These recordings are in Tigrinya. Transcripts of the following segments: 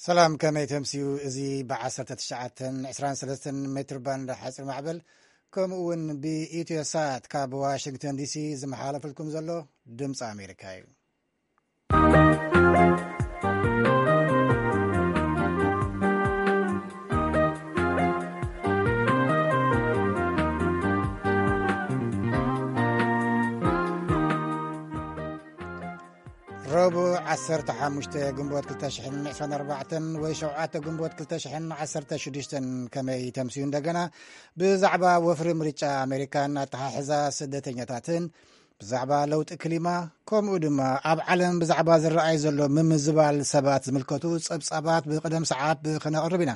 ሰላም፣ ከመይ ተምስዩ? እዚ ብ1923 ሜትር ባንድ ሓፂር ማዕበል፣ ከምኡ እውን ብኢትዮ ሳት ካብ ዋሽንግተን ዲሲ ዝመሓላለፈልኩም ዘሎ ድምፂ ኣሜሪካ እዩ። ረቡዕ 15 ግንቦት 2024 ወይ 7 ግንቦት 2016፣ ከመይ ተምስዩ? እንደገና ብዛዕባ ወፍሪ ምርጫ ኣሜሪካን ኣተሓሕዛ ስደተኛታትን፣ ብዛዕባ ለውጢ ክሊማ፣ ከምኡ ድማ ኣብ ዓለም ብዛዕባ ዝረኣይ ዘሎ ምምዝባል ሰባት ዝምልከቱ ጸብጻባት ብቅደም ሰዓብ ክነቕርብ ኢና።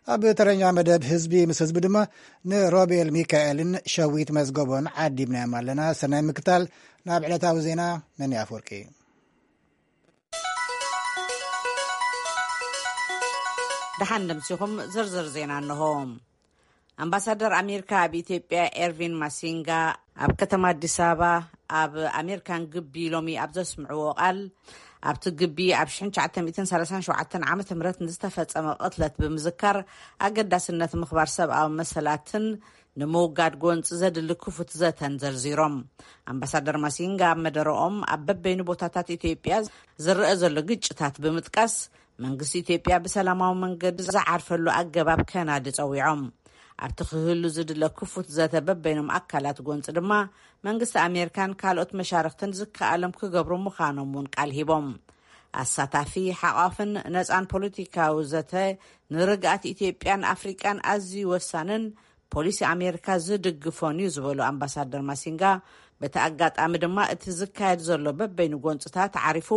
ኣብ ተረኛ መደብ ህዝቢ ምስ ህዝቢ ድማ ንሮቤል ሚካኤልን ሸዊት መዝገቦን ዓዲምናዮም ኣለና። ሰናይ ምክታል። ናብ ዕለታዊ ዜና፣ ነኒ ኣፍወርቂ። ደሓን ደምሲኹም። ዝርዝር ዜና እንሆ። ኣምባሳደር ኣሜሪካ ኣብ ኢትዮጵያ ኤርቪን ማሲንጋ ኣብ ከተማ ኣዲስ ኣበባ ኣብ ኣሜሪካን ግቢ ሎሚ ኣብ ዘስምዕዎ ቃል፣ ኣብቲ ግቢ ኣብ 1937 ዓመተ ምህረት ንዝተፈጸመ ቅትለት ብምዝካር፣ ኣገዳስነት ምኽባር ሰብኣዊ መሰላትን ንምውጋድ ጎንፂ ዘድሊ ክፉት ዘተን ዘርዚሮም። ኣምባሳደር ማሲንጋ ኣብ መደረኦም ኣብ በበይኑ ቦታታት ኢትዮጵያ ዝረአ ዘሎ ግጭታት ብምጥቃስ፣ መንግስቲ ኢትዮጵያ ብሰላማዊ መንገዲ ዝዓርፈሉ ኣገባብ ከናዲ ጸዊዖም። ኣብቲ ክህሉ ዝድለ ክፉት ዘተ በበይኖም ኣካላት ጎንፂ ድማ፣ መንግስቲ ኣሜሪካን ካልኦት መሻርክትን ዝከኣሎም ክገብሩ ምዃኖም እውን ቃል ሂቦም። ኣሳታፊ፣ ሓቋፍን ነፃን ፖለቲካዊ ዘተ ንርግኣት ኢትዮጵያን ኣፍሪቃን ኣዝዩ ወሳንን ፖሊሲ ኣሜሪካ ዝድግፎን እዩ ዝበሉ ኣምባሳደር ማሲንጋ፣ በቲ ኣጋጣሚ ድማ እቲ ዝካየድ ዘሎ በበይኑ ጎንፅታት ዓሪፉ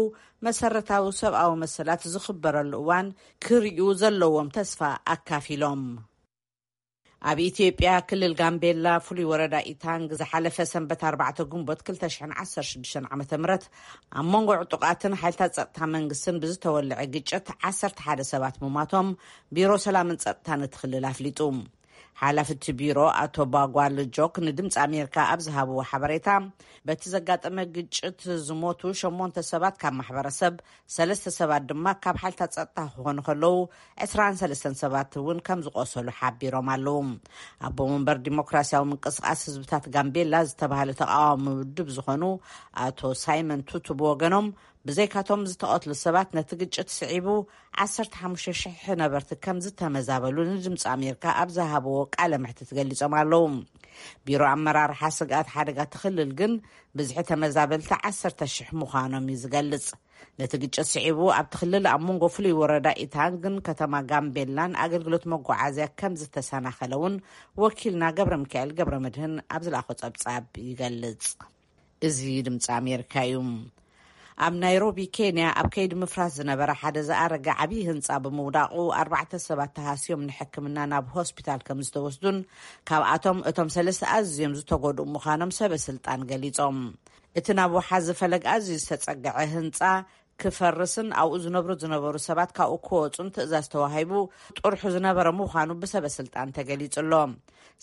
መሰረታዊ ሰብኣዊ መሰላት ዝኽበረሉ እዋን ክርእዩ ዘለዎም ተስፋ ኣካፊሎም። ኣብ ኢትዮጵያ ክልል ጋምቤላ ፍሉይ ወረዳ ኢታንግ ዝሓለፈ ሰንበት 4 ግንቦት 2016 ዓ ም ኣብ መንጎ ዕጡቓትን ሓይልታት ጸጥታ መንግስትን ብዝተወልዐ ግጭት 11 ሰባት ምማቶም ቢሮ ሰላምን ጸጥታን እቲ ክልል ኣፍሊጡ። ሓላፊ እቲ ቢሮ ኣቶ ባጓል ጆክ ንድምፂ ኣሜሪካ ኣብ ዝሃብዎ ሓበሬታ፣ በቲ ዘጋጠመ ግጭት ዝሞቱ ሸሞንተ ሰባት ካብ ማሕበረሰብ፣ ሰለስተ ሰባት ድማ ካብ ሓይልታት ጸጥታ ክኾኑ ከለዉ፣ 23 ሰባት እውን ከም ዝቆሰሉ ሓቢሮም ኣለዉ። ኣቦ መንበር ዲሞክራሲያዊ ምንቅስቃስ ህዝብታት ጋምቤላ ዝተባሃለ ተቃዋሚ ውድብ ዝኾኑ ኣቶ ሳይመን ቱቱ ብወገኖም፣ ብዘይካቶም ዝተቐትሉ ሰባት ነቲ ግጭት ስዒቡ 15,000 ነበርቲ ከም ዝተመዛበሉ ንድምፂ ኣሜሪካ ኣብ ዝሃብዎ ቃለ መሕትት ገሊጾም ኣለዉ። ቢሮ ኣመራርሓ ስግኣት ሓደጋ እቲ ክልል ግን፣ ብዝሒ ተመዛበልቲ 10,000 ምዃኖም እዩ ዝገልጽ። ነቲ ግጭት ስዒቡ ኣብቲ ክልል ኣብ መንጎ ፍሉይ ወረዳ ኢታንግን ከተማ ጋምቤላን ኣገልግሎት መጓዓዝያ ከም ዝተሰናኸለ እውን ወኪልና ገብረ ሚካኤል ገብረ መድህን ኣብ ዝለኣኾ ጸብጻብ ይገልጽ። እዚ ድምፂ ኣሜሪካ እዩ። ኣብ ናይሮቢ ኬንያ ኣብ ከይዲ ምፍራስ ዝነበረ ሓደ ዝኣረገ ዓብዪ ህንፃ ብምውዳቑ፣ ኣርባዕተ ሰባት ተሃስዮም ንሕክምና ናብ ሆስፒታል ከም ዝተወስዱን፣ ካብኣቶም እቶም ሰለስተ ኣዝዮም ዝተጎድኡ ምዃኖም ሰበ ስልጣን ገሊጾም። እቲ ናብ ወሓዚ ፈለግ ኣዝዩ ዝተጸግዐ ህንጻ ክፈርስን ኣብኡ ዝነብሩ ዝነበሩ ሰባት ካብኡ ክወጹን ትእዛዝ ተዋሂቡ ጥርሑ ዝነበረ ምዃኑ ብሰበ ስልጣን ተገሊጹ ኣሎ።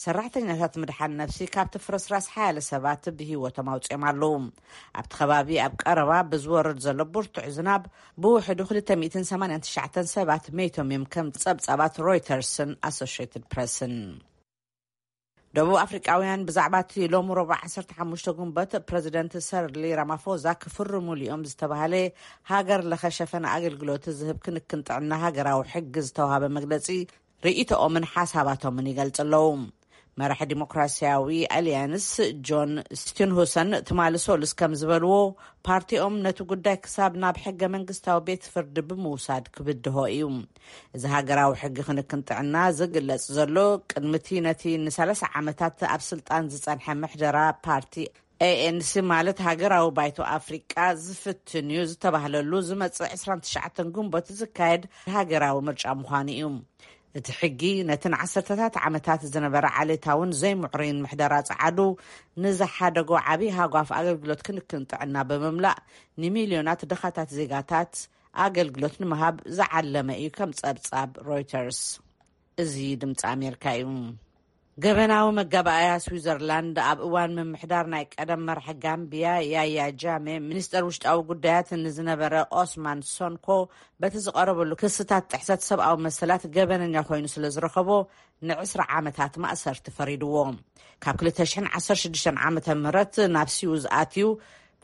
ሰራሕተኛታት ምድሓን ነፍሲ ካብቲ ፍርስራስ ሓያለ ሰባት ብህይወቶም ኣውጺኦም ኣለዉ። ኣብቲ ከባቢ ኣብ ቀረባ ብዝወርድ ዘሎ ብርቱዕ ዝናብ ብውሕዱ 289 ሰባት መይቶም እዮም፣ ከም ጸብጻባት ሮይተርስን ኣሶሽየትድ ፕረስን። ደቡብ ኣፍሪቃውያን ብዛዕባ እቲ ሎሚ ረቡዕ 15 ግንቦት ፕረዚደንት ሰርሊ ራማፎዛ ክፍርሙሉ እዮም ዝተባህለ ሃገር ለኸ ሸፈነ ኣገልግሎት ዝህብ ክንክን ጥዕና ሃገራዊ ሕጊ ዝተዋሃበ መግለጺ ርእይቶኦምን ሓሳባቶምን ይገልጽ ኣለዉ። መራሒ ዲሞክራሲያዊ ኣልያንስ ጆን ስቲንሁሰን ትማሊ ሶሉስ ከም ዝበልዎ፣ ፓርቲኦም ነቲ ጉዳይ ክሳብ ናብ ሕገ መንግስታዊ ቤት ፍርዲ ብምውሳድ ክብድሆ እዩ። እዚ ሃገራዊ ሕጊ ክንክን ጥዕና ዝግለጽ ዘሎ፣ ቅድሚ እቲ ነቲ ን30 ዓመታት ኣብ ስልጣን ዝጸንሐ ምሕደራ ፓርቲ ኤኤንሲ፣ ማለት ሃገራዊ ባይቶ ኣፍሪቃ ዝፍትን እዩ ዝተባህለሉ ዝመጽእ 29 ግንቦት ዝካየድ ሃገራዊ ምርጫ ምዃኑ እዩ። እቲ ሕጊ ነቲ ንዓሰርተታት ዓመታት ዝነበረ ዓሌታውን ዘይምዕሩይን ምሕደራ ጸዓዱ ንዝሓደጎ ዓብዪ ሃጓፍ ኣገልግሎት ክንክን ጥዕና ብምምላእ፣ ንሚልዮናት ድኻታት ዜጋታት ኣገልግሎት ንምሃብ ዝዓለመ እዩ፣ ከም ጸብጻብ ሮይተርስ። እዚ ድምፂ ኣሜሪካ እዩ። ገበናዊ መጋባእያ ስዊዘርላንድ ኣብ እዋን ምምሕዳር ናይ ቀደም መራሒ ጋምቢያ ያያ ጃሜ፣ ሚኒስተር ውሽጣዊ ጉዳያት ንዝነበረ ኦስማን ሶንኮ፣ በቲ ዝቐረበሉ ክስታት ጥሕሰት ሰብኣዊ መሰላት ገበነኛ ኮይኑ ስለ ዝረኸቦ፣ ን20 ዓመታት ማእሰርቲ ፈሪድዎ። ካብ ክልተ ሽሕን ዓሰርተ ሽዱሽተን ዓመተ ምህረት ናብ ሲዩዝ ኣትዩ፣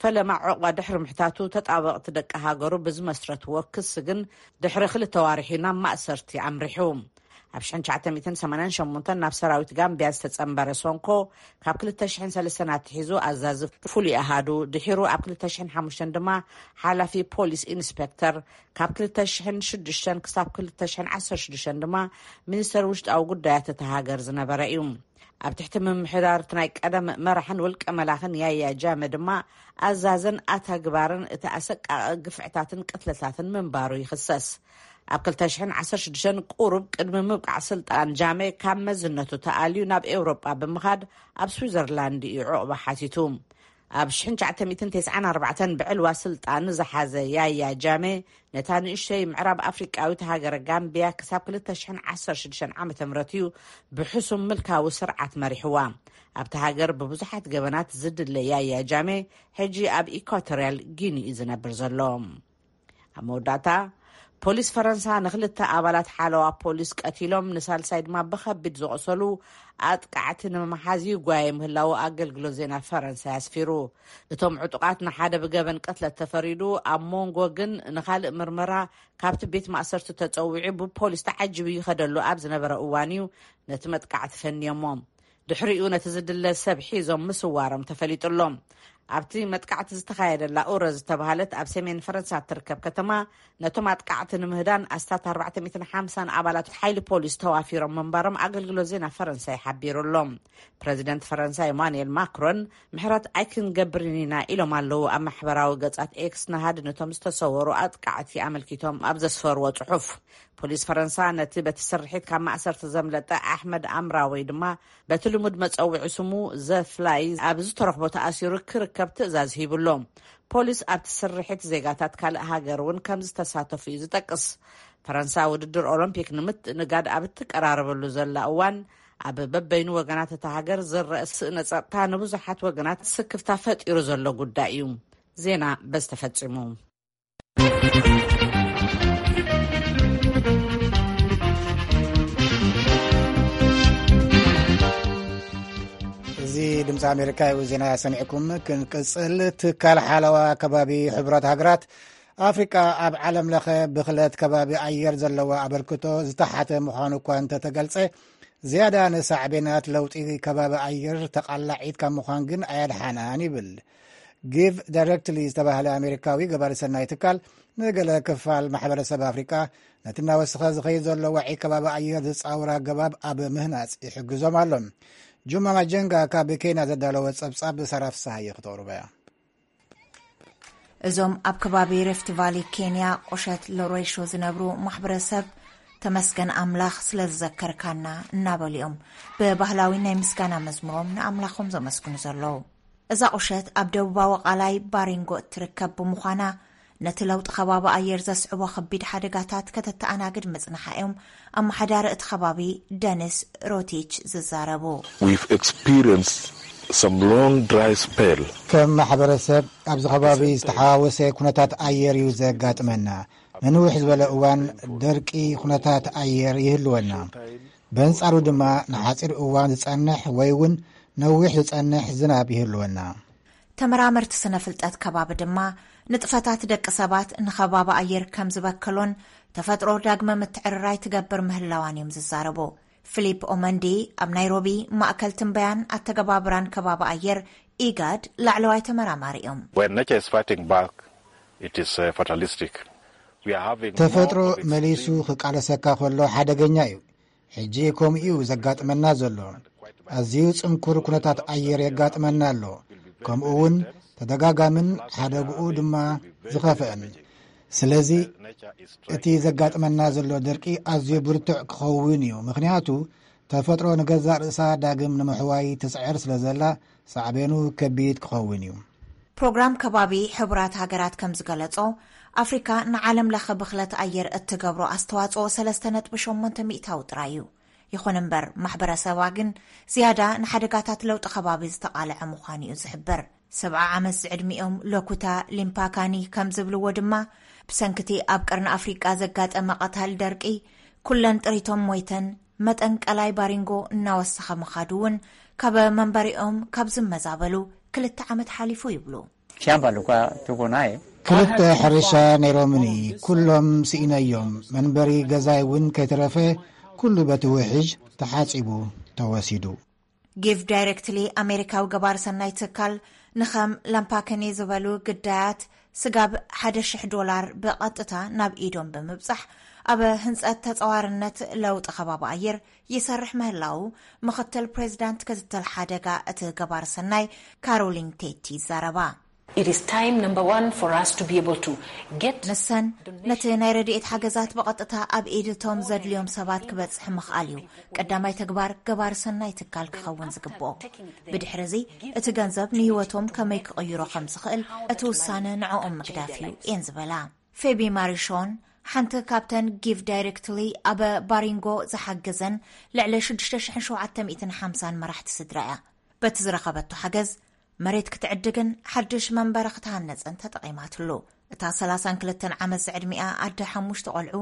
ፈለማ ዕቑባ ድሕሪ ምሕታቱ፣ ተጣበቕቲ ደቂ ሃገሩ ብዝመስረትዎ ክሲ ግን፣ ድሕሪ ክልተ ዋርሒ ናብ ማእሰርቲ ኣምሪሑ። ኣብ ሽሕን ትሽዓተ ሚእትን ሰማንያን ሸሞንተን ናብ ሰራዊት ጋምቢያ ዝተጸንበረ ሶንኮ፣ ካብ ክልተ ሽሕን ሰለስተን ኣትሒዙ ኣዛዚ ፍሉይ ኣሃዱ፣ ድሒሩ ኣብ ክልተ ሽሕን ሓሙሽተን ድማ ሓላፊ ፖሊስ ኢንስፔክተር፣ ካብ ክልተ ሽሕን ሽዱሽተን ክሳብ ክልተ ሽሕን ዓሰርተ ሽዱሽተን ድማ ሚኒስተር ውሽጣዊ ጉዳያት እታ ሃገር ዝነበረ እዩ። ኣብ ትሕቲ ምምሕዳር እቲ ናይ ቀደም መራሕን ውልቀ መላኽን ያያ ጃመ ድማ፣ ኣዛዝን ኣተግባርን እቲ ኣሰቃቒ ግፍዕታትን ቅትለታትን ምንባሩ ይኽሰስ። ኣብ ክልተ ሽሕን ዓሰርተ ሽዱሽተን፣ ቁሩብ ቅድሚ ምብቃዕ ስልጣን ጃመ፣ ካብ መዝነቱ ተኣልዩ ናብ ኤውሮጳ ብምኻድ፣ ኣብ ስዊዘርላንድ እዩ ዕቑባ ሓቲቱ። ኣብ ሽሕን ትሽዓተ ሚእትን ተስዓን ኣርባዕተን ብዕልዋ ስልጣን ዝሓዘ ያያ ጃመ፣ ነታ ንእሽተይ ምዕራብ ኣፍሪቃዊት ሃገር ጋምቢያ ክሳብ ክልተ ሽሕን ዓሰርተ ሽዱሽተን ዓመተ ምህረት እዩ ብሕሱም ምልካዊ ስርዓት መሪሕዋ። ኣብቲ ሃገር ብብዙሓት ገበናት ዝድለ ያያ ጃመ፣ ሕጂ ኣብ ኢኳቶርያል ጊኒ እዩ ዝነብር ዘሎ። ኣብ መወዳእታ፣ ፖሊስ ፈረንሳ ንኽልተ ኣባላት ሓለዋ ፖሊስ ቀቲሎም፣ ንሳልሳይ ድማ ብኸቢድ ዝቖሰሉ ኣጥቃዕቲ ንምምሓዝ ይጓየ ምህላዉ ኣገልግሎት ዜና ፈረንሳ ኣስፊሩ። እቶም ዕጡቓት ንሓደ ብገበን ቅትለት ተፈሪዱ፣ ኣብ መንጎ ግን ንኻልእ ምርመራ ካብቲ ቤት ማእሰርቲ ተጸዊዑ ብፖሊስ ተዓጂቡ ይኸደሉ ኣብ ዝነበረ እዋን እዩ ነቲ መጥቃዕቲ ፈንዮሞ። ድሕሪኡ ነቲ ዝድለ ሰብ ሒዞም ምስዋሮም ተፈሊጡ ኣሎ። ኣብቲ መጥቃዕቲ ዝተኻየደላ ኡረ ዝተባህለት ኣብ ሰሜን ፈረንሳ እትርከብ ከተማ፣ ነቶም ኣጥቃዕቲ ንምህዳን ኣስታት ኣርባዕተ ሚእትን ሓምሳን ኣባላት ሓይሊ ፖሊስ ተዋፊሮም ምንባሮም ኣገልግሎት ዜና ፈረንሳይ ሓቢሩ ኣሎ። ፕረዚደንት ፈረንሳ ኢማኑኤል ማክሮን፣ ምሕረት ኣይክንገብርን ኢና ኢሎም ኣለዉ። ኣብ ማሕበራዊ ገጻት ኤክስ፣ ንሃድነቶም ዝተሰወሩ ኣጥቃዕቲ ኣመልኪቶም ኣብ ዘስፈርዎ ጽሑፍ፣ ፖሊስ ፈረንሳ ነቲ በቲ ስርሒት ካብ ማእሰርቲ ዘምለጠ ኣሕመድ ኣምራወይ ድማ፣ በቲ ልሙድ መጸውዒ ስሙ ዘፍላይ፣ ኣብ ዝተረኽቦ ተኣሲሩ ክርከብ ትእዛዝ ሂቡ ኣሎ። ፖሊስ ኣብቲ ስርሒት ዜጋታት ካልእ ሃገር እውን ከም ዝተሳተፉ እዩ ዝጠቅስ። ፈረንሳ ውድድር ኦሎምፒክ ንምትእንጋድ ኣብ እትቀራረበሉ ዘላ እዋን፣ ኣብ በበይኑ ወገናት እታ ሃገር ዝረአ ስእነ ጸጥታ ንብዙሓት ወገናት ስክፍታ ፈጢሩ ዘሎ ጉዳይ እዩ። ዜና በዚ ተፈጺሙ። እዚ ድምፂ ኣሜሪካ እዩ። ዜና ሰሚዕኩም ክንቅፅል። ትካል ሓለዋ ከባቢ ሕቡራት ሃገራት፣ ኣፍሪቃ ኣብ ዓለም ለኸ ብኽለት ከባቢ ኣየር ዘለዋ ኣበርክቶ ዝተሓተ ምዃኑ እኳ እንተተገልጸ፣ ዝያዳ ንሳዕቤናት ለውጢ ከባቢ ኣየር ተቓላዒት ካብ ምዃን ግን ኣየድሓናን ይብል። ጊቭ ዳይሬክትሊ ዝተባህለ ኣሜሪካዊ ገባሪ ሰናይ ትካል፣ ንገለ ክፋል ማሕበረሰብ ኣፍሪቃ ነቲ እናወሰኸ ዝኸይድ ዘሎ ዋዒ ከባቢ ኣየር ዝጻወር ኣገባብ ኣብ ምህናጽ ይሕግዞም ኣሎ። ጁማ ማጀንጋ ካብ ኬንያ ዘዳለወ ጸብጻብ ሳራ ፍስሃየ ክተቕርቦ እያ። እዞም ኣብ ከባቢ ሬፍት ቫሊ ኬንያ ቁሸት ሎሬሾ ዝነብሩ ማሕበረሰብ፣ "ተመስገን ኣምላኽ ስለ ዝዘከርካና" እናበሉ እዮም ብባህላዊ ናይ ምስጋና መዝሙሮም ንኣምላኾም ዘመስግኑ ዘለዉ። እዛ ቁሸት ኣብ ደቡባዊ ቃላይ ባሪንጎ እትርከብ ብምዃና፣ ነቲ ለውጢ ከባቢ ኣየር ዘስዕቦ ከቢድ ሓደጋታት ከተተኣናግድ ምጽንሓ እዮም ኣመሓዳሪ እቲ ከባቢ ደኒስ ሮቲች ዝዛረቡ። We've experienced some long dry spell. ከም ማሕበረሰብ ኣብዚ ከባቢ ዝተሓዋወሰ ኩነታት ኣየር እዩ ዘጋጥመና። ንንውሕ ዝበለ እዋን ደርቂ ኩነታት ኣየር ይህልወና። በንጻሩ ድማ ንሓጺር እዋን ዝጸንሕ ወይ እውን ነዊሕ ዝጸንሕ ዝናብ ይህልወና። ተመራመርቲ ስነ ፍልጠት ከባቢ ድማ፣ ንጥፈታት ደቂ ሰባት ንከባቢ ኣየር ከም ዝበከሎን ተፈጥሮ ዳግመ ምትዕርራይ ትገብር ምህላዋን እዮም ዝዛረቡ። ፊሊፕ ኦመንዲ፣ ኣብ ናይሮቢ ማእከል ትንበያን ኣተገባብራን ከባቢ ኣየር ኢጋድ ላዕለዋይ ተመራማሪ እዮም። When nature is fighting back, it is, uh, fatalistic. We are having more ተፈጥሮ of extreme መሊሱ ክቃለሰካ ከሎ ሓደገኛ እዩ። ሕጂ ከምኡ እዩ ዘጋጥመና ዘሎ። ኣዝዩ ጽንኩር ኩነታት ኣየር የጋጥመና ኣሎ። ከምኡ እውን ተደጋጋምን ሓደግኡ ድማ ዝኸፍአን። ስለዚ እቲ ዘጋጥመና ዘሎ ደርቂ ኣዝዩ ብርቱዕ ክኸውን እዩ። ምኽንያቱ ተፈጥሮ ንገዛእ ርእሳ ዳግም ንምሕዋይ ትጽዕር ስለ ዘላ ሳዕቤኑ ከቢድ ክኸውን እዩ። ፕሮግራም ከባቢ ሕቡራት ሃገራት ከም ዝገለጾ፣ ኣፍሪካ ንዓለም ለኸ ብኽለት ኣየር እትገብሮ ኣስተዋጽኦ ሰለስተ ነጥቢ ሸሞንተ ሚእታዊ ጥራይ እዩ። ይኹን እምበር፣ ማሕበረሰባ ግን ዝያዳ ንሓደጋታት ለውጢ ከባቢ ዝተቓልዐ ምዃኑ እዩ ዝሕብር። ሰብዓ ዓመት ዝዕድሚኦም ሎኩታ ሊምፓካኒ ከም ዝብልዎ ድማ፣ ብሰንክቲ ኣብ ቀርኒ ኣፍሪቃ ዘጋጠመ ቀታል ደርቂ፣ ኩለን ጥሪቶም ሞይተን፣ መጠን ቀላይ ባሪንጎ እናወሰኸ ምኻዱ እውን፣ ካብ መንበሪኦም ካብ ዝመዛበሉ ክልተ ዓመት ሓሊፉ ይብሉ። Shamba likuwa tuko naye ክልተ ሕርሻ ነይሮምኒ፣ ኩሎም ስኢነዮም። መንበሪ ገዛይ እውን ከይተረፈ ኩሉ በቲ ውሕጅ ተሓጺቡ ተወሲዱ። ጊቭ ዳይሬክትሊ ኣሜሪካዊ ገባር ሰናይ ትካል፣ ንኸም ላምፓከኒ ዝበሉ ግዳያት ስጋብ ሓደ ሽሕ ዶላር ብቐጥታ ናብ ኢዶም ብምብጻሕ፣ ኣብ ህንጸት ተጸዋርነት ለውጢ ከባቢ ኣየር ይሰርሕ ምህላዉ፣ ምኽትል ፕሬዚዳንት ክትትል ሓደጋ እቲ ገባር ሰናይ ካሮሊን ቴቲ ይዛረባ። It is time, number one, for us to be able to get ንሰን፣ ነቲ ናይ ረድኤት ሓገዛት ብቐጥታ ኣብ ኢድ እቶም ዘድልዮም ሰባት ክበጽሕ ምኽኣል እዩ ቀዳማይ ተግባር ገባር ሰናይ ትካል ክኸውን ዝግብኦ። ብድሕሪ እዚ፣ እቲ ገንዘብ ንህይወቶም ከመይ ክቕይሮ ከም ዝኽእል እቲ ውሳነ ንዕኦም ምግዳፍ እዩ እየን ዝበላ። ፌቢ ማሪሾን፣ ሓንቲ ካብተን ጊቭ ዳይሬክትሊ ኣብ ባሪንጎ ዝሓገዘን ልዕሊ ሽዱሽተ ሽሕን ሸውዓተ ሚእትን ሓምሳን መራሕቲ ስድራ እያ። በቲ ዝረኸበቶ ሓገዝ፣ መሬት ክትዕድግን ሓድሽ መንበሪ ክትሃነጽን ተጠቒማትሉ። እታ ሰላሳን ክልተን ዓመት ዝዕድሚኣ ኣደ ሓሙሽተ ቆልዑ፣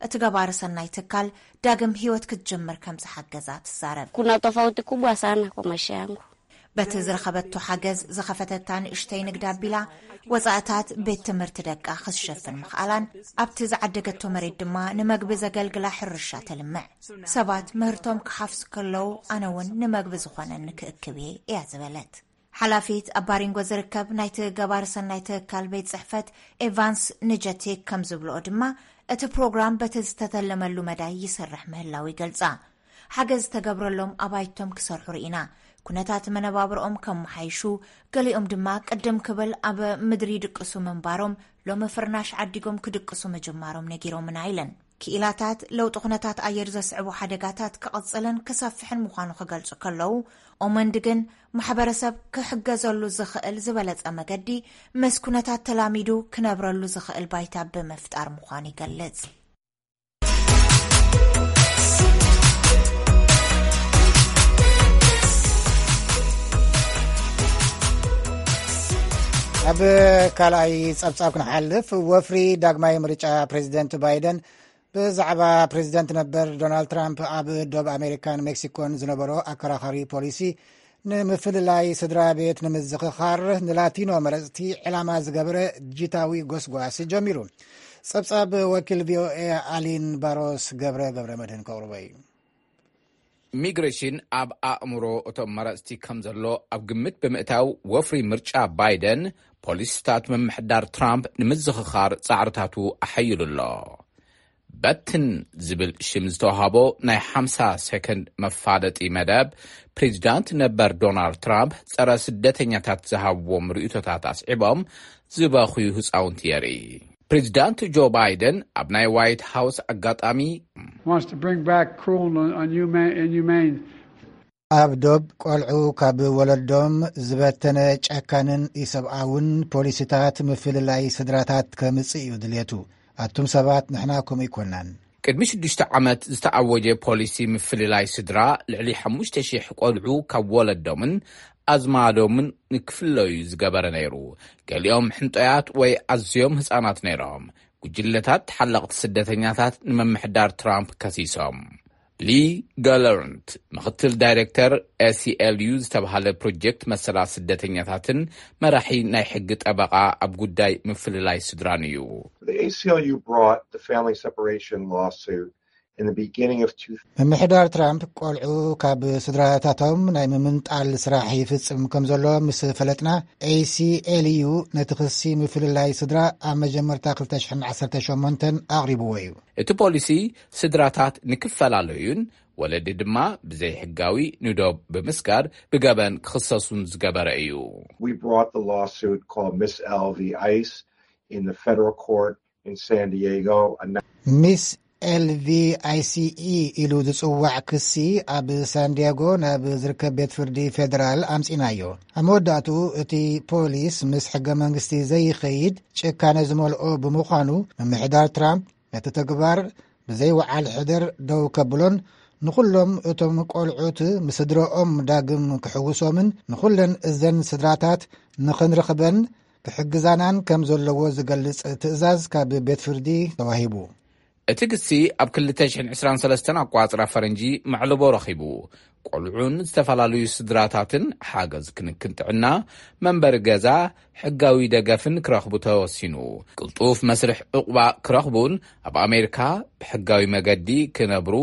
እቲ ገባሪ ሰናይ ትካል ዳግም ህይወት ክትጅምር ከም ዝሓገዛ ትዛረብ። Kuna tofauti kubwa sana kwa maisha yangu. በቲ ዝረኸበቶ ሓገዝ ዝኸፈተታ ንእሽተይ ንግዲ ኣቢላ፣ ወጻእታት ቤት ትምህርቲ ደቃ ክትሸፍን ምኽኣላን፣ ኣብቲ ዝዓደገቶ መሬት ድማ ንመግቢ ዘገልግላ ሕርሻ ተልምዕ። ሰባት ምህርቶም ክሓፍሱ ከለዉ፣ ኣነ እውን ንመግቢ ዝኾነኒ ክእክብ እየ እያ ዝበለት። ሓላፊት ኣብ ባሪንጎ ዝርከብ ናይቲ ገባሪ ሰናይ ትካል ቤት ጽሕፈት ኤቫንስ ንጀቲክ ከም ዝብልኦ ድማ፣ እቲ ፕሮግራም በቲ ዝተተለመሉ መዳይ ይሰርሕ ምህላው ይገልጻ። ሓገዝ ዝተገብረሎም ኣባይቶም ክሰርሑ ርኢና። ኩነታት መነባብርኦም ከመሓይሹ፣ ገሊኦም ድማ ቅድም ክብል ኣብ ምድሪ ይድቅሱ ምንባሮም፣ ሎሚ ፍርናሽ ዓዲጎም ክድቅሱ ምጅማሮም ነጊሮምና ኢለን። ክኢላታት ለውጢ ኩነታት ኣየር ዘስዕቡ ሓደጋታት ክቕጽልን ክሰፍሕን ምዃኑ ክገልጹ ከለዉ፣ ኦመንድ ግን ማሕበረሰብ ክሕገዘሉ ዝኽእል ዝበለጸ መገዲ፣ ምስ ኩነታት ተላሚዱ ክነብረሉ ዝኽእል ባይታ ብምፍጣር ምዃኑ ይገልጽ። ኣብ ካልኣይ ጸብጻብ ክንሓልፍ፣ ወፍሪ ዳግማይ ምርጫ ፕሬዚደንት ባይደን ብዛዕባ ፕሬዚደንት ነበር ዶናልድ ትራምፕ ኣብ ዶብ ኣሜሪካን ሜክሲኮን ዝነበሮ ኣከራኻሪ ፖሊሲ ንምፍልላይ ስድራ ቤት ንምዝኽኻር ንላቲኖ መረፅቲ ዕላማ ዝገበረ ዲጂታዊ ጎስጓስ ጀሚሩ። ጸብጻብ ወኪል ቪኦኤ ኣሊን ባሮስ ገብረ ገብረ መድህን ከቕርቦ እዩ። ኢሚግሬሽን ኣብ ኣእምሮ እቶም መረፅቲ ከም ዘሎ ኣብ ግምት ብምእታው፣ ወፍሪ ምርጫ ባይደን ፖሊሲታት ምምሕዳር ትራምፕ ንምዝኽኻር ጻዕርታቱ ኣሐይሉ ኣሎ። በትን ዝብል ሽም ዝተዋሃቦ ናይ ሓምሳ ሰከንድ መፋለጢ መደብ፣ ፕሬዚዳንት ነበር ዶናልድ ትራምፕ ጸረ ስደተኛታት ዝሃብዎም ርእይቶታት ኣስዒቦም ዝበኽዩ ህጻውንቲ የርኢ። ፕሬዚዳንት ጆ ባይደን ኣብ ናይ ዋይት ሃውስ ኣጋጣሚ፣ wants to bring back cruel and unhumane, inhumane ኣብ ዶብ ቆልዑ ካብ ወለዶም ዝበተነ ጨካንን ኢሰብኣውን ፖሊሲታት ምፍልላይ ስድራታት ከምጽእ እዩ ድልየቱ። ኣቱም ሰባት፣ ንሕና ከምኡ ኣይኮናን። ቅድሚ ሽዱሽተ ዓመት ዝተኣወጀ ፖሊሲ ምፍልላይ ስድራ፣ ልዕሊ ሓሙሽተ ሽሕ ቆልዑ ካብ ወለዶምን ኣዝማዶምን ንክፍለዩ ዝገበረ ነይሩ። ገሊኦም ሕንጦያት ወይ ኣዝዮም ህጻናት ነይሮም። ጉጅለታት ተሓለቕቲ ስደተኛታት ንምምሕዳር ትራምፕ ከሲሶም። ሊ ጋለርንት፣ ምኽትል ዳይሬክተር ኤሲኤልዩ ዝተባህለ ፕሮጀክት መሰላት ስደተኛታትን መራሒ ናይ ሕጊ ጠበቓ ኣብ ጉዳይ ምፍልላይ ስድራን እዩ። The A C L U brought the family separation lawsuit in the beginning of two ምምሕዳር ትራምፕ ቆልዑ ካብ ስድራታቶም ናይ ምምንጣል ስራሕ ይፍጽም ከም ዘሎ ምስ ፈለጥና፣ ኤሲኤልዩ ነቲ ክሲ ምፍልላይ ስድራ ኣብ መጀመርታ ክልተ ሽሕን ዓሰርተ ሸሞንተን ኣቕሪብዎ እዩ። እቲ ፖሊሲ ስድራታት ንክፈላለዩን ወለዲ ድማ ብዘይሕጋዊ ንዶብ ብምስጋር ብገበን ክኽሰሱን ዝገበረ እዩ። We brought the lawsuit called Miss L v ice in the federal court in San Diego. ሚስ ኤልቪ ኣይሲኢ ኢሉ ዝጽዋዕ ክሲ ኣብ ሳንዲያጎ ናብ ዝርከብ ቤት ፍርዲ ፌደራል ኣምጺናዮ። ኣብ መወዳእቱ እቲ ፖሊስ ምስ ሕገ መንግስቲ ዘይኸይድ ጭካነ ዝመልኦ ብምዃኑ፣ ምምሕዳር ትራምፕ ነቲ ተግባር ብዘይ ወዓል ሕደር ደው ከብሎን ንኹሎም እቶም ቆልዑት ምስድረኦም ዳግም ክሕውሶምን ንኹለን እዘን ስድራታት ንኽንረኽበን ክሕግዛናን ከም ዘለዎ ዝገልጽ ትእዛዝ ካብ ቤት ፍርዲ ተዋሂቡ። እቲ ግሲ ኣብ ክልተ ሽሕን ዕስራን ሰለስተን ኣቋጽራ ፈረንጂ መዕልቦ ረኺቡ። ቆልዑን ዝተፈላለዩ ስድራታትን ሓገዝ ክንክን ጥዕና፣ መንበሪ ገዛ፣ ሕጋዊ ደገፍን ክረኽቡ ተወሲኑ። ቅልጡፍ መስርሕ ዕቑባ ክረኽቡን ኣብ ኣሜሪካ ብሕጋዊ መገዲ ክነብሩ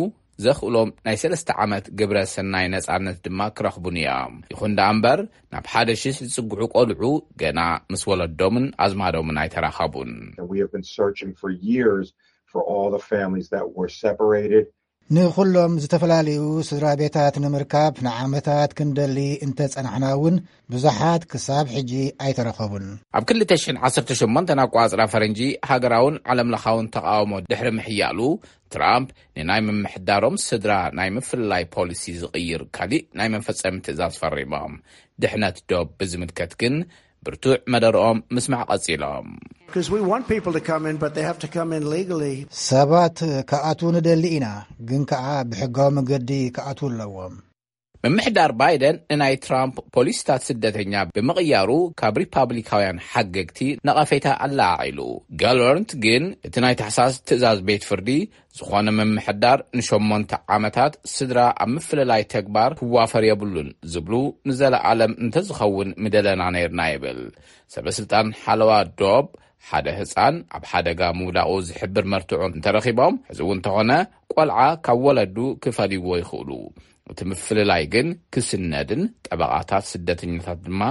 ዘኽእሎም ናይ ሰለስተ ዓመት ግብረ ሰናይ ነጻነት ድማ ክረኽቡን እዮም። ይኹን ደኣ እምበር፣ ናብ ሓደ ሽሕ ዝጽግዑ ቆልዑ ገና ምስ ወለዶምን ኣዝማዶምን ኣይተራኸቡን። And we have been searching for years for all the families that were separated. ንኹሎም ዝተፈላለዩ ስድራ ቤታት ንምርካብ ንዓመታት ክንደሊ እንተጸናሕና እውን፣ ብዙሓት ክሳብ ሕጂ ኣይተረኸቡን። ኣብ ክልተ ሽሕን ዓሰርተ ሸሞንተን ኣቋጽራ ፈረንጂ ሃገራውን ዓለምለኻውን ተቓውሞ ድሕሪ ምሕያሉ፣ ትራምፕ ንናይ ምምሕዳሮም ስድራ ናይ ምፍልላይ ፖሊሲ ዝቕይር ካሊእ ናይ መፈጸሚ ትእዛዝ ፈሪሞም። ድሕነት ዶብ ብዝምልከት ግን ብርቱዕ መደርኦም ምስማዕ ቀጺሎም። Because we want people to come in, but they have to come in legally. ሰባት ክኣትዉ ንደሊ ኢና፣ ግን ከኣ ብሕጋዊ መገዲ ክኣትዉ ኣለዎም። ምምሕዳር ባይደን ንናይ ትራምፕ ፖሊሲታት ስደተኛ ብምቕያሩ ካብ ሪፓብሊካውያን ሓገግቲ ነቐፌታ ኣለዓዒሉ። ጋሎርንት ግን እቲ ናይ ታሕሳስ ትእዛዝ ቤት ፍርዲ ዝኾነ ምምሕዳር ንሸሞንተ ዓመታት ስድራ ኣብ ምፍልላይ ተግባር ክዋፈር የብሉን ዝብሉ ንዘለዓለም እንተዝኸውን ምደለና ነይርና ይብል። ሰበስልጣን ሓለዋ ዶብ ሓደ ህፃን ኣብ ሓደጋ ምውዳቑ ዝሕብር መርትዖ እንተረኺቦም፣ እዚ እውን እንተኾነ ቆልዓ ካብ ወለዱ ክፈልይዎ ይኽእሉ። እቲ ምፍልላይ ግን ክስነድን ጠበቓታት ስደተኛታት ድማ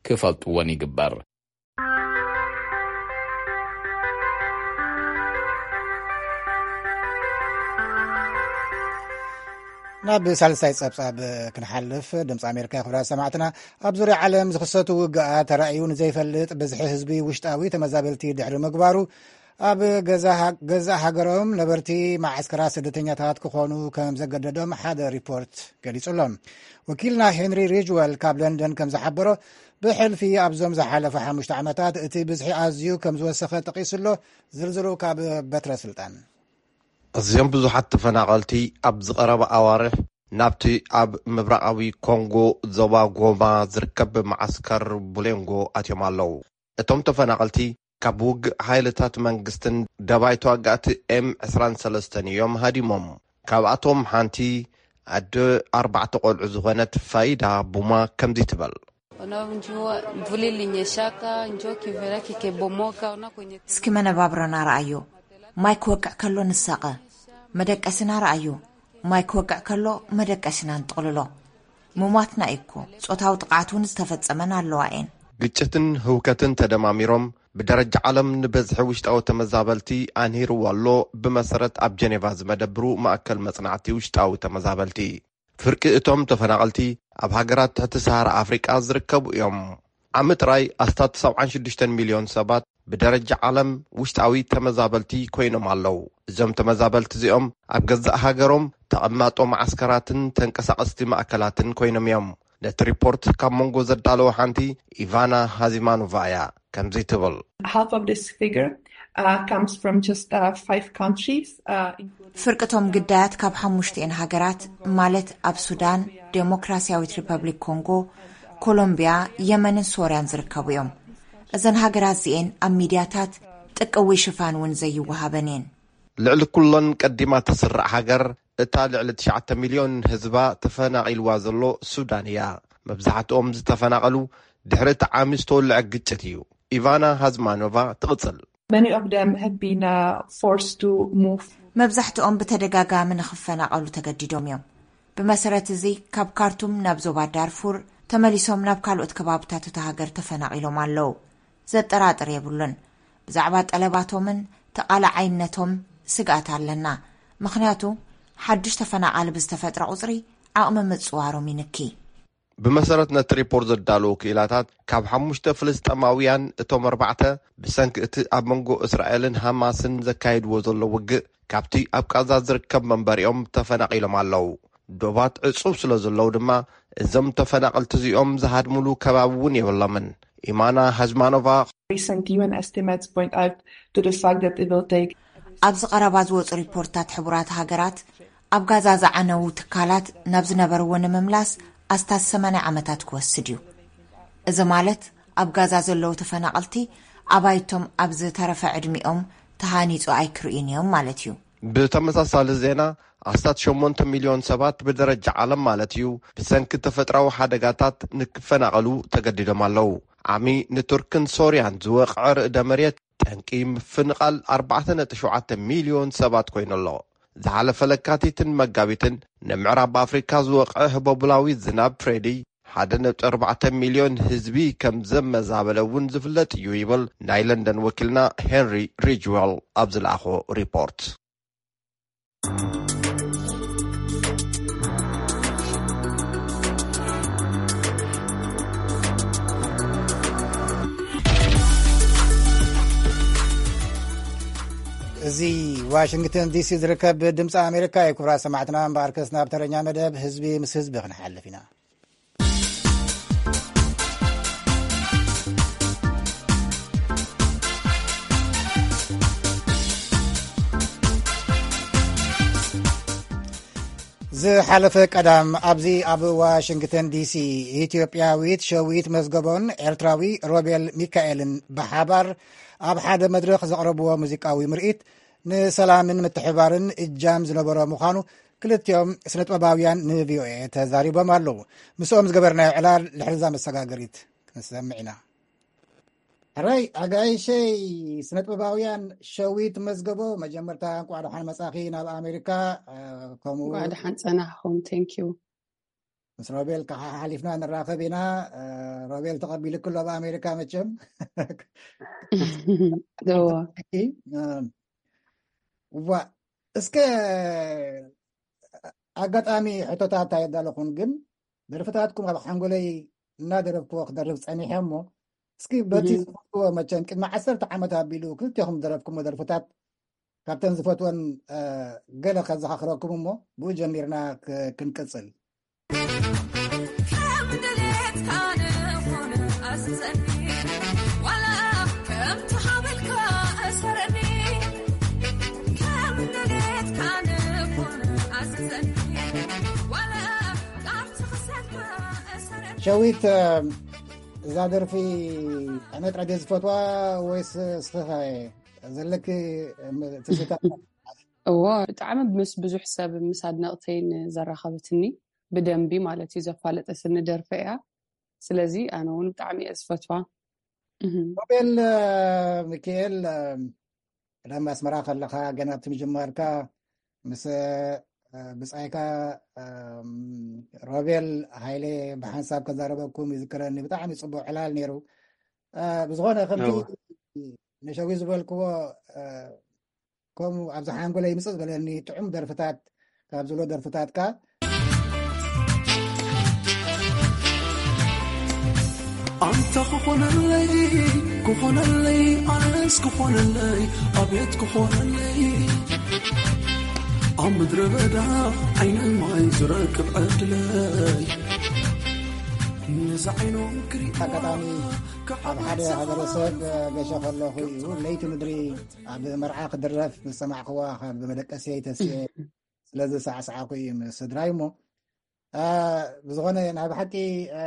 ክፈልጥዎን ይግበር። ናብ ሳልሳይ ጸብጻብ ክንሓልፍ፣ ድምፂ ኣሜሪካ ክብራት ሰማዕትና፣ ኣብ ዙርያ ዓለም ዝኽሰቱ ውግኣት ተራእዩ ንዘይፈልጥ ብዝሒ ህዝቢ ውሽጣዊ ተመዛበልቲ ድሕሪ ምግባሩ፣ ኣብ ገዛእ ሃገሮም ነበርቲ ማዓስከራት ስደተኛታት ክኾኑ ከም ዘገደዶም ሓደ ሪፖርት ገሊጹ ኣሎ። ወኪልና ሄንሪ ሪጅወል ካብ ለንደን ከም ዝሓበሮ፣ ብሕልፊ ኣብዞም ዝሓለፉ ሓሙሽተ ዓመታት እቲ ብዝሒ ኣዝዩ ከም ዝወሰኸ ጠቒሱ ኣሎ። ዝርዝሩ ካብ በትረ ስልጣን። ኣዝዮም ብዙሓት ተፈናቐልቲ ኣብ ዝቐረባ ኣዋርሕ ናብቲ ኣብ ምብራቓዊ ኮንጎ ዞባ ጎማ ዝርከብ መዓስከር ቡሌንጎ ኣትዮም ኣለዉ። እቶም ተፈናቐልቲ ካብ ውግእ ሓይልታት መንግስትን ደባይ ተዋጋእቲ ኤም ዕስራን ሰለስተን እዮም ሃዲሞም። ካብኣቶም ሓንቲ ኣደ ኣርባዕተ ቆልዑ ዝኾነት ፋይዳ ቡማ ከምዚ ትበል። Ona njua mvula ilinyeshaka, njua kivera kikebomoka, ona kwenye እስኪ መነባብሮና ረኣዮ። ማይ ክወቅዕ ከሎ ንሳቐ። መደቀሲና ረኣዮ። ማይ ክወቅዕ ከሎ መደቀሲና ንጥቕልሎ። ምሟትና እዩ እኮ። ጾታዊ ጥቕዓት እውን ዝተፈጸመን ኣለዋ እየን። ግጭትን ህውከትን ተደማሚሮም ብደረጃ ዓለም ንበዝሒ ውሽጣዊ ተመዛበልቲ ኣንሂርዎ ኣሎ። ብመሰረት ኣብ ጀኔቫ ዝመደብሩ ማእከል መጽናዕቲ ውሽጣዊ ተመዛበልቲ፣ ፍርቂ እቶም ተፈናቐልቲ ኣብ ሃገራት ትሕቲ ሰሃራ ኣፍሪቃ ዝርከቡ እዮም። ዓሚ ጥራይ ኣስታት ሰብዓን ሽዱሽተን ሚልዮን ሰባት ብደረጃ ዓለም ውሽጣዊ ተመዛበልቲ ኮይኖም ኣለዉ። እዞም ተመዛበልቲ እዚኦም ኣብ ገዛእ ሃገሮም ተቐማጦ መዓስከራትን ተንቀሳቐስቲ ማእከላትን ኮይኖም እዮም። ነቲ ሪፖርት ካብ መንጎ ዘዳለወ ሓንቲ ኢቫና ሃዚማኖቫ እያ። ከምዚ ትብል። Half of this figure uh, comes from just uh, five countries. Uh, including- ፍርቅቶም ግዳያት ካብ ሓሙሽተኤን ሃገራት፣ ማለት ኣብ ሱዳን፣ ዴሞክራሲያዊት ሪፐብሊክ ኮንጎ፣ ኮሎምቢያ፣ የመንን ሶርያን ዝርከቡ እዮም። እዘን ሃገራት እዚኤን ኣብ ሚድያታት ጥቅዊ ሽፋን እውን ዘይወሃበን እየን። ልዕሊ ኩሎን ቀዲማ ተስርዕ ሃገር፣ እታ ልዕሊ ትሽዓተ ሚልዮን ህዝባ ተፈናቒልዋ ዘሎ ሱዳን እያ። መብዛሕትኦም ዝተፈናቐሉ ድሕሪ እቲ ዓሚ ዝተወልዐ ግጭት እዩ። ኢቫና ሃዝማኖቫ ትቕጽል። Many of them have been uh, forced to move. መብዛሕትኦም ብተደጋጋሚ ንኽፈናቐሉ ተገዲዶም እዮም። ብመሰረት እዚ፣ ካብ ካርቱም ናብ ዞባ ዳርፉር ተመሊሶም ናብ ካልኦት ከባብታት እታ ሃገር ተፈናቒሎም ኣለዉ። ዘጠራጥር የብሉን። ብዛዕባ ጠለባቶምን ተቓላዓይነቶም ስግኣት ኣለና። ምኽንያቱ፣ ሓድሽ ተፈናቓሊ ብዝተፈጥረ ቁጽሪ ዓቕሚ ምጽዋሮም ይንኪ። ብመሰረት ነቲ ሪፖርት ዘዳለዉ ክኢላታት፣ ካብ ሓሙሽተ ፍልስጠማውያን እቶም ኣርባዕተ ብሰንኪ እቲ ኣብ መንጎ እስራኤልን ሃማስን ዘካይድዎ ዘሎ ውግእ ካብቲ ኣብ ቃዛ ዝርከብ መንበሪኦም ተፈናቒሎም ኣለዉ። ዶባት ዕጹብ ስለ ዘለዉ ድማ፣ እዞም ተፈናቐልቲ እዚኦም ዝሃድሙሉ ከባቢ እውን የብሎምን። ኢማና ሃዝማኖቫ። Recent U N estimates point out to the fact that it will take ኣብዚ ቀረባ ዝወጹ ሪፖርታት ሕቡራት ሃገራት ኣብ ጋዛ ዝዓነዉ ትካላት ናብ ዝነበርዎ ንምምላስ ኣስታት ሰማንያ ዓመታት ክወስድ እዩ። እዚ ማለት ኣብ ጋዛ ዘለዉ ተፈናቐልቲ ኣባይቶም ኣብ ዝተረፈ ዕድሚኦም ተሃኒጹ ኣይክርእዩን እዮም ማለት እዩ። ብተመሳሳሊ ዜና፣ ኣስታት ሸሞንተ ሚልዮን ሰባት ብደረጃ ዓለም ማለት እዩ፣ ብሰንኪ ተፈጥራዊ ሓደጋታት ንክፈናቐሉ ተገዲዶም ኣለዉ። ዓሚ ንቱርክን ሶርያን ዝወቕዐ ርእደ መሬት ጠንቂ ምፍንቓል ኣርባዕተ ነጥቢ ሸውዓተ ሚልዮን ሰባት ኮይኑ ኣሎ። ዝሓለፈ ለካቲትን መጋቢትን ንምዕራብ ኣፍሪካ ዝወቕዐ ህቦብላዊ ዝናብ ፍሬዲ ሓደ ነጥቢ ኣርባዕተ ሚልዮን ህዝቢ ከም ዘመዛበለ እውን ዝፍለጥ እዩ ይብል ናይ ለንደን ወኪልና ሄንሪ ሪጅዌል ኣብ ዝለኣኾ ሪፖርት። እዚ ዋሽንግተን ዲሲ ዝርከብ ድምፂ ኣሜሪካ እዩ። ክቡራት ሰማዕትና፣ እምበኣርከስ ናብ ተረኛ መደብ ህዝቢ ምስ ህዝቢ ክንሓልፍ ኢና። ዝሓለፈ ቀዳም ኣብዚ ኣብ ዋሽንግተን ዲሲ፣ ኢትዮጵያዊት ሸዊት መዝገቦን ኤርትራዊ ሮቤል ሚካኤልን ብሓባር ኣብ ሓደ መድረኽ ዘቕረብዎ ሙዚቃዊ ምርኢት፣ ንሰላምን ምትሕባርን እጃም ዝነበሮ ምዃኑ ክልቲኦም ስነጥበባውያን ንቪኦኤ ተዛሪቦም ኣለዉ። ምስኦም ዝገበርናዮ ዕላል ልሕልዛ መሰጋገሪት ክንሰምዕ ኢና። ሕራይ ኣጋይሸይ፣ ስነጥበባውያን ሸዊት መዝገቦ፣ መጀመርታ እንቋዕ ደሓን መጻኺ ናብ ኣሜሪካ። እ፣ ከምኡ እንቋዕ ደሓን ጸናሕኹም። Thank you። ምስ ሮቤል ከሓ ሓሊፍና ንራኸብ ኢና። እ፣ ሮቤል ተቐቢሉ ክሎ ኣብ ኣሜሪካ መቸም። እዋ። እ፣ እዋ፣ እስከ ኣጋጣሚ ሕቶታት ኣየዳለኹን፣ ግን ደርፍታትኩም ኣብ ሓንጎለይ እናደረፍክዎ ክደርፍ ጸኒሐ እሞ፣ እስኪ በቲ እህ። ዝፈትዎ፣ መቸም ቅድሚ ዓሰርተ ዓመት ኣቢሉ ክልቴኹም ዝደረፍኩሞ ደርፍታት ካብተን ዝፈትወን፣ እ፣ ገለ ከዘኻኽረኩም እሞ፣ ብኡ ጀሚርና ክ-፣ ክንቅጽል። ከም ድሌትካ ንኹን ኣዝዘኒ፣ ዋላ ከምቲ ሓበልካ እሰረኒ። ከም ድሌትካ ንኹን ኣዝዘኒ፣ ዋላ ካብቲ ክሰልካ እሰረኒ። ሸዊት፣ እዛ ደርፊ ኣነ ጥራይ ድየ ዝፈትዋ ወይስ እስኺኸ ዘለኪ ትዝታ? እዎ፣ ብጣዕሚ ምስ ብዙሕ ሰብ፣ ምስ ኣድነቕተይን ዘራኸበትኒ፣ ብደንቢ ማለት እዩ ዘፋለጠትኒ ደርፊ እያ። ስለዚ ኣነ እውን ብጣዕሚ እየ ዝፈትዋ። እህ። ሮቤል፣ እ፣ ሚካኤል፣ እ፣ ቀደም ኣስመራ ከለኻ፣ ገና ኣብቲ ምጅማርካ ምስ፣ እ፣ ብጻይካ፣ እ፣ ሮቤል ሃይለ ብሓንሳብ ከዛረበኩም ይዝክረኒ። ብጣዕሚ ጽቡቕ ዕላል ነይሩ። እ፣ ብዝኾነ ከምቲ እዎ። ንሸዊ ዝበልክዎ፣ እ፣ ከምኡ ኣብዚ ሓንጎለይ ምጽእ ዝበለኒ ጥዑም ደርፍታት ካብ ዝብሎ ደርፍታትካ። ኣንታ ክኾነለይ፣ ክኾነለይ፣ ኣነስ ክኾነለይ፣ ኣቤት ክኾነለይ። ኣብ ምድረ በዳ ዓይኒ ማይ ዝረክብ ዕድለይ። ነዛ ዓይኖም ክሪእዋ ኣጋጣሚ ካብ ኣብ ሓደ ሓዘን ሃገረሰብ ገሸ ከለኹ እዩ። ለይቲ ምድሪ ኣብ መርዓ ክድረፍ ምስ ሰማዕክዋ፣ ካብ መደቀስየይ ተሲኤ ስለዚ ሳዕሳዕኩ እዩ ምስ ስድራይ እሞ፣ አ፣ ብዝኾነ ናይ ብሓቂ፣ አ፣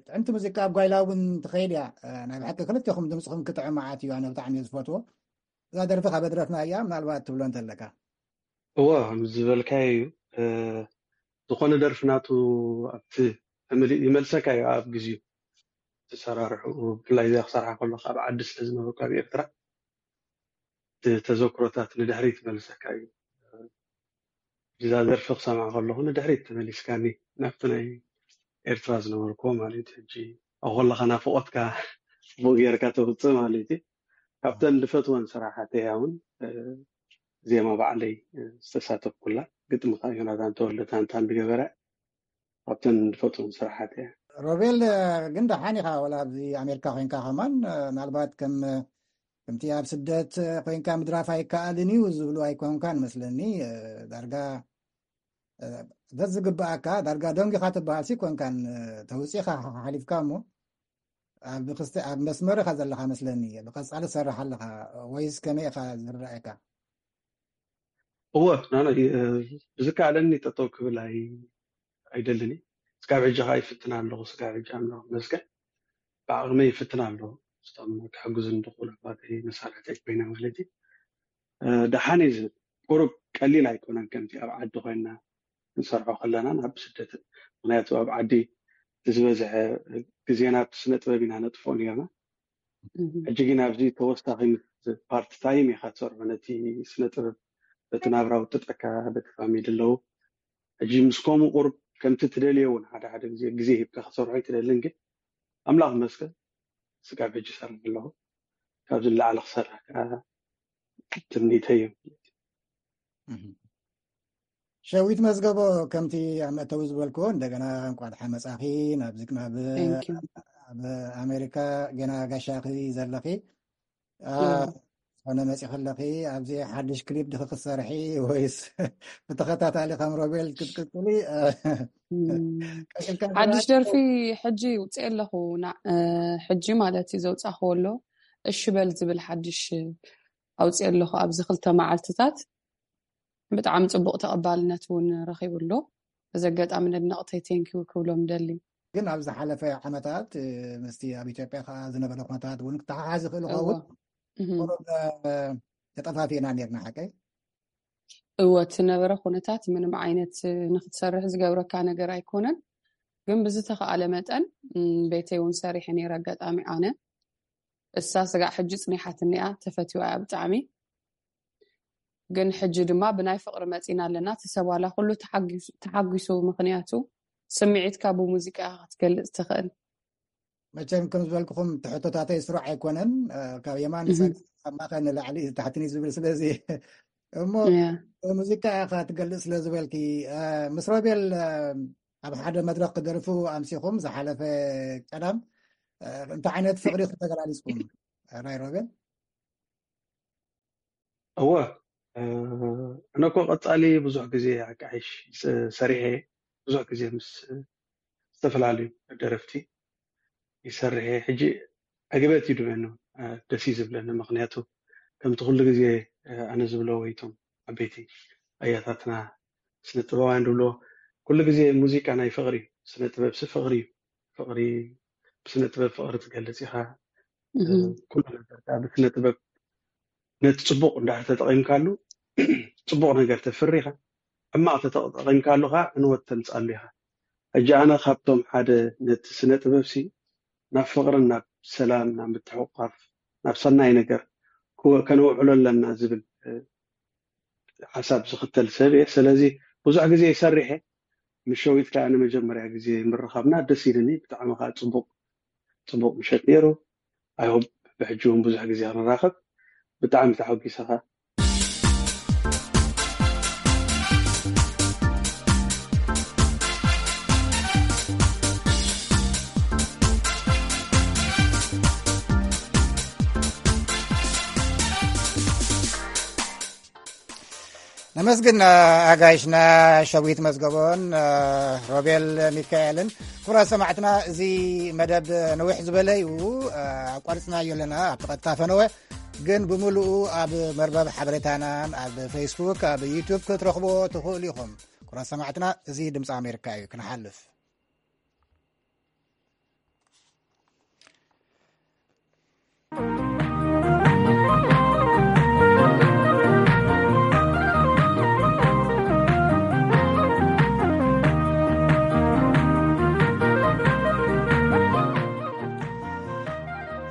ጥዕምቲ ሙዚቃ ኣብ ጓይላ እውን ትኸይድ እያ። አ፣ ናይ ብሓቂ ክልቴኹም ድምፅኹም ክጥዕም መዓት እዩ። ኣነ ብጣዕሚ እየ ዝፈትዎ። እዛ ደርፊ ካብ ኣድረፍና እያ፣ ምናልባት ትብሎ እንተለካ። እዎ፣ ከም ዝበልካዮ እዩ። እ፣ ዝኾነ ደርፊ ናቱ ኣብቲ ምልእ ይመልሰካ እዩ ኣብ ግዜኡ። ዝሰራርሑ፣ ብፍላይ እዚኣ ክሰርሓ ከለኹ ኣብ ዓዲ ስለ ዝነበርኩ ኣብ ኤርትራ፣ እቲ ተዘክሮታት ንድሕሪት ይመልሰካ እዩ። እዛ ደርፊ ክሰምዓ ከለኹ ንድሕሪት ተመሊስካኒ ናብቲ ናይ ኤርትራ ዝነበርኩዎ ማለት እዩ። ሕጂ ኣብ ከለኻ ናፍቖትካ ጽቡቕ ጌርካ ተውጽእ ማለት እዩ። ካብተን ዝፈትወን ስራሓት እያ እውን፣ እ፣ ዜማ ባዕለይ፣ እ፣ ዝተሳተፍኩላ፣ ግጥሚ ከኣ ዮናታን ተወልደ ታንታን ዝገበረ፣ ካብተን ዝፈትወን ስራሓት እያ። ሮቤል፣ ግን ደሓን ኢኻ፣ ወላ ኣብዚ ኣሜሪካ ኮይንካ ከማን፣ ምናልባት ከም፣ ከምቲ ኣብ ስደት ኮይንካ ምድራፍ ኣይከኣልን እዩ ዝብሉ ኣይኮንካን መስለኒ። ዳርጋ በዚ ዝግብኣካ፣ ዳርጋ ደንጊኻ ትበሃል ሲ ኮንካን፣ ተውፂኻ ሓሊፍካ እሞ፣ ኣብ ክስተ-፣ ኣብ መስመር ኢኻ ዘለኻ መስለኒ። ብቐፃሊ ትሰርሕ ኣለኻ ወይስ ከመይ ኢኻ ዝረኣየካ? እወ ናና ብዝከኣለኒ ጠጠው ክብል ኣይደልን። ስጋብ ሕጂ ከዓ ይፍትን ኣለኹ። ስጋብ ሕጂ ኣምላኽ መስገን ብዓቕመይ ይፍትን ኣለኹ። ስቶም ክሕግዙ ንድኽሉ ኣባተይ መሳርሕተይ ኮይና ማለት እዩ። ደሓን እዩ ዝብል ቁሩብ ቀሊል ኣይኮነን ከምቲ ኣብ ዓዲ ኮይና ክንሰርሖ ከለና ናብ ስደትን። ምክንያቱ ኣብ ዓዲ ዝበዝሐ ግዜና ስነ ጥበብ ኢና ነጥፎ ነርና። ሕጂ ግን ኣብዚ ተወሳኺ ምስ ፓርት ታይም ኢኻ ትሰርሖ ነቲ ስነ ጥበብ በቲ ናብራ ውጥጠካ በቲ ፋሚሊ ኣለዉ። ሕጂ ምስ ከምኡ ቁሩብ ከምቲ ትደልዮ እውን ሓደ ሓደ ግዜ ግዜ ሂብካ ክትሰርሖ ኣይትደልን። ግን ኣምላኽ መስገን ስጋብ ሕጂ ሰርሕ ኣለኹ። ካብዚ ንላዕሊ ክሰርሕ ከዓ ትምኒተይ እዩ። ሸዊት መዝገቦ፣ ከምቲ ኣብ መእተዊ ዝበልክዎ እንደገና እንቋዕ ደሓን መጻኺ ናብዚ ናብ ኣብ ኣሜሪካ ገና ጋሻኺ ዘለኺ። ዝኾነ መጺኺ ኣለኺ፣ ኣብዚ ሓድሽ ክሊፕ ድኺ ክትሰርሒ ወይስ ብተኸታታሊ ከም ሮቤል ክትቅጽሊ? ሓድሽ ደርፊ ሕጂ ውፅእ ኣለኹ። ሕጂ ማለት እዩ ዘውፃኽዎ ኣሎ፣ እሺ በል ዝብል ሓድሽ ኣውፅእ ኣለኹ ኣብዚ ክልተ መዓልትታት። ብጣዕሚ ፅቡቕ ተቐባልነት እውን ረኺቡ ኣሎ። እዚ ኣጋጣሚ ነድነቕተይ ቴንኪው ክብሎም ደሊ። ግን ኣብ ዝሓለፈ ዓመታት ምስቲ ኣብ ኢትዮጵያ ከዓ ዝነበረ ኩነታት እውን ክተሓሓዝ ይኽእል ይኸውን። ተጠፋፊእና ነርና ሓቀይ? እወ፣ እቲ ነበረ ኩነታት ምንም ዓይነት ንክትሰርሕ ዝገብረካ ነገር ኣይኮነን። ግን ብዝተኸኣለ መጠን ቤተይ እውን ሰሪሐ ነይረ። ኣጋጣሚ ኣነ እሳ ስጋዕ ሕጂ ፅኒሓትኒ እያ፣ ተፈትዋ እያ ብጣዕሚ። ግን ሕጂ ድማ ብናይ ፍቕሪ መፂና ኣለና። ተሰብ ዋላ ኩሉ ተሓጒሱ፣ ምክንያቱ ስምዒትካ ብሙዚቃ ክትገልፅ ትኽእል። መቸም ከም ዝበልኩኹም ትሕቶታተይ ስሩዕ ኣይኮነን። ካብ የማን ንፀጋም፣ ካብ ማእኸል ንላዕሊ ታሕትኒ ዝብል። ስለዚ እሞ ሙዚቃ ኢኻ ትገልፅ ስለ ዝበልኪ፣ ምስ ሮቤል ኣብ ሓደ መድረኽ ክደርፉ ኣምሲኹም ዝሓለፈ ቀዳም፣ እንታይ ዓይነት ፍቕሪ ክተገላሊፅኩም ናይ ሮቤል? እወ፣ እነ እኮ ቀጻሊ ብዙሕ ግዜ ኣቃይሽ ሰሪሐ፣ ብዙሕ ግዜ ምስ ዝተፈላለዩ ደረፍቲ ይሰርሐ። ሕጂ ዕግበት እዩ ድበኒ፣ ደስ እዩ ዝብለኒ። ምክንያቱ ከምቲ ኩሉ ግዜ ኣነ ዝብሎ ወይቶም ዓበይቲ ኣያታትና ስነ ጥበባውያን ድብሎ፣ ኩሉ ግዜ ሙዚቃ ናይ ፍቕሪ እዩ። ስነ ጥበብ ሲ ፍቕሪ እዩ። ፍቕሪ ብስነ ጥበብ ፍቕሪ ትገልጽ ኢኻ። ኩሉ ነገር ከዓ ብስነ ጥበብ ነቲ ጽቡቕ እንድሕር ተጠቒምካሉ ጽቡቕ ነገር ተፍሪ ኢኻ። ሕማቕ ተጠቒምካሉ ከዓ ዕንወት ተምፅኣሉ ኢኻ። ሕጂ ኣነ ካብቶም ሓደ ነቲ ስነ ጥበብ ሲ ናብ ፍቕርን ናብ ሰላም ናብ ምትሕቑቓፍ ናብ ሰናይ ነገር ከነውዕሎ ኣለና ዝብል ሓሳብ ዝኽተል ሰብ እየ። ስለዚ ብዙሕ ግዜ ይሰርሕ እየ። ምስ ሸዊት ከዓ ንመጀመርያ ግዜ ምርኻብና ደስ ኢልኒ። ብጣዕሚ ከዓ ፅቡቕ ፅቡቕ ምሸት ነይሩ። ኣይሆብ ብሕጂ እውን ብዙሕ ግዜ ክንራኸብ። ብጣዕሚ ተሓጒሰኻ። ነመስግን ኣጋይሽና ሸዊት መዝገቦን ሮቤል ሚካኤልን። ክቡራት ሰማዕትና፣ እዚ መደብ ነዊሕ ዝበለ እዩ፣ ኣቋርፅናዮ ኣለና። ኣብቲ ቀጥታ ፈነወ ግን ብምሉኡ ኣብ መርበብ ሓበሬታናን ኣብ ፌስቡክ ኣብ ዩቱብ ክትረኽቦ ትኽእሉ ኢኹም። ክቡራት ሰማዕትና፣ እዚ ድምፂ ኣሜሪካ እዩ። ክንሓልፍ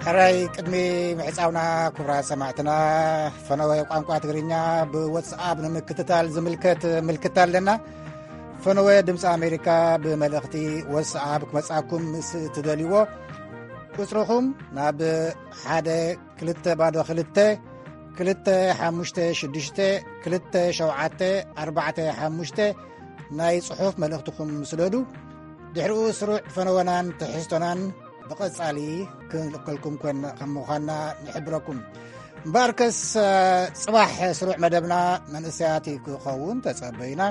ሕራይ ቅድሚ ምሕፃውና፣ ክቡራት ሰማዕትና፣ ፈነወ ቋንቋ ትግርኛ ብወትስኣፕ ንምክትታል ዝምልከት ምልክት ኣለና። ፈነወ ድምፂ ኣሜሪካ ብመልእኽቲ ወትስኣፕ ክመፃኩም ምስ ትደልይዎ፣ ቁፅርኹም ናብ ሓደ ክልተ ባዶ ክልተ ክልተ ሓሙሽተ ሽዱሽተ ክልተ ሸውዓተ ኣርባዕተ ሓሙሽተ ናይ ፅሑፍ መልእኽትኹም ስደዱ። ድሕሪኡ ስሩዕ ፈነወናን ትሕዝቶናን ብቐጻሊ ክንልእከልኩም ኮን ከም ምዃንና ንሕብረኩም። እምበኣርከስ፣ ጽባሕ ስሩዕ መደብና መንእሰያት ክኸውን ተጸበዩና።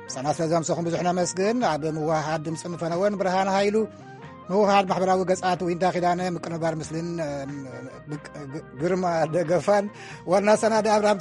ምሳና ስለ ዘምሰኹም ብዙሕ ነመስግን። ኣብ ምውሃሃድ ድምፅን ፈነወን ብርሃን ሃይሉ፣ ምውሃድ ማሕበራዊ ገጻት ዊንታ ኪዳነ፣ ምቅንባር ምስልን፣ እ፣ ግ-፣ ግ-፣ ግርማ ደገፋን፣ ዋና ሰናዲ ኣብርሃም